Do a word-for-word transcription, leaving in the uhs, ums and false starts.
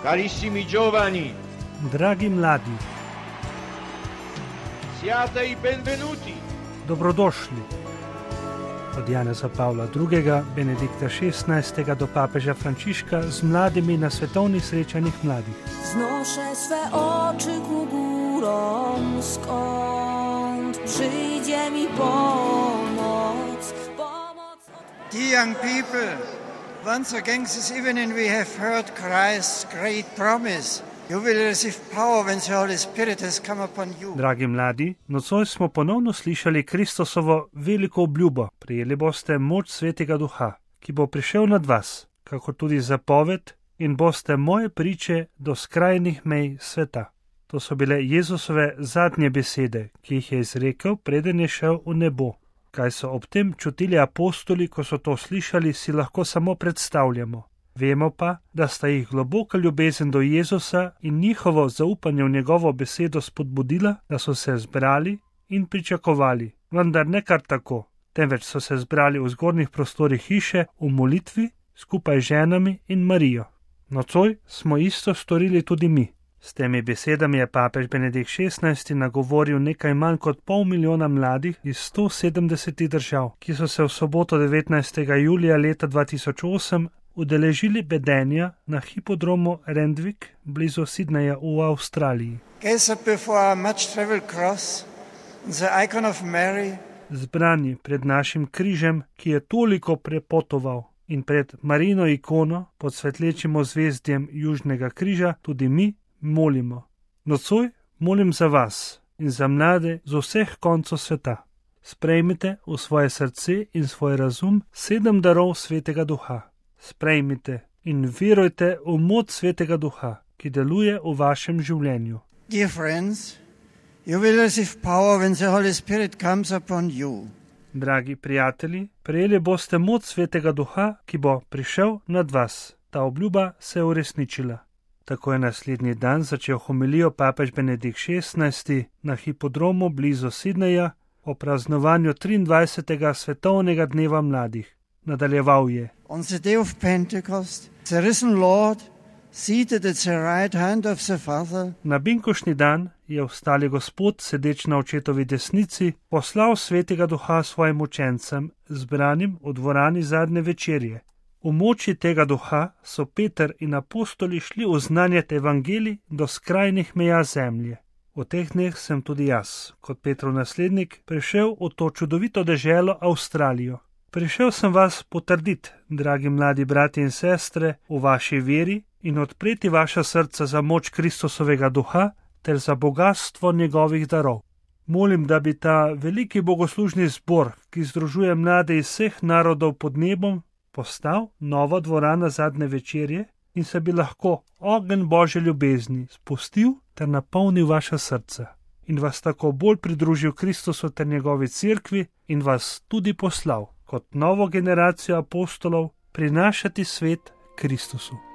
Carissimi giovani, dragi mladi, siate i benvenuti. Dobrodošli. Od Janeza Pavla drugega, Benedikta šestnajstega do papeža Frančiška z mladimi na svetovnih srečanjih mladih. Znoszę swe oczy ku górom, skąd przyjdzie mi pomoc. Pomoc od... Dear young people, once again this evening we have heard Christ's great promise. You will receive power when the Holy Spirit has come upon you. Dragi mladi, nocoj smo ponovno slišali Kristusovo veliko obljubo. Prijeli boste moč Svetega Duha, ki bo prišel nad vas, kako tudi zapoved, in boste moje priče do skrajnih mej sveta. To so bile Jezusove zadnje besede, ki jih je izrekel, preden je šel v nebo. Kaj so ob tem čutili apostoli, ko so to slišali, si lahko samo predstavljamo. Vemo pa, da sta jih globoka ljubezen do Jezusa in njihovo zaupanje v njegovo besedo spodbudila, da so se zbrali in pričakovali, vendar ne kar tako, temveč so se zbrali v zgornjih prostorih hiše v molitvi skupaj z ženami in Marijo. Nocoj smo isto storili tudi mi. S temi besedami je papež Benedikt šestnajsti nagovoril nekaj manj kot pol milijona mladih iz sto sedemdesetih držav, ki so se v soboto devetnajstega julija leta dva tisoč osem udeležili bedenja na hipodromu Randwick blizu Sydneyja v Avstraliji. Zbrani pred našim križem, ki je toliko prepotoval, in pred Marijino ikono pod svetlečim ozvezdjem Južnega križa tudi mi molimo. Nocoj molim za vas in za mlade z vseh koncev sveta. Sprejmite v svoje srce in svoj razum sedem darov Svetega Duha. Sprejmite in verujte v moč Svetega Duha, ki deluje v vašem življenju. Dear friends, you will receive power when the Holy Spirit comes upon you. Dragi prijatelji, prejeli boste moč Svetega Duha, ki bo prišel nad vas. Ta obljuba se je uresničila. Tako je naslednji dan začel homilijo papež Benedikt šestnajsti na hipodromu blizu Sydneyja o praznovanju triindvajsetega svetovnega dneva mladih. Nadaljeval je. On the day of Pentecost, the risen Lord, seated at the right hand of the Father. Na binkošni dan je vstali Gospod, sedeč na očetovi desnici, poslal Svetega Duha svojim učencem, zbranim v dvorani zadnje večerje. V moči tega duha so Peter in apostoli šli oznanjati evangelij do skrajnih meja zemlje. V teh dneh sem tudi jaz, kot Petrov naslednik, prišel v to čudovito deželo Avstralijo. Prišel sem vas potrditi, dragi mladi brati in sestre, v vaši veri in odpreti vaša srca za moč Kristusovega duha ter za bogastvo njegovih darov. Molim, da bi ta veliki bogoslužni zbor, ki združuje mlade iz vseh narodov pod nebom, postal nova dvorana zadnje večerje in se bi lahko ogenj Božje ljubezni spustil ter napolnil vaša srca in vas tako bolj pridružil Kristusu ter njegovi cerkvi in vas tudi poslal kot novo generacijo apostolov prinašati svet Kristusu.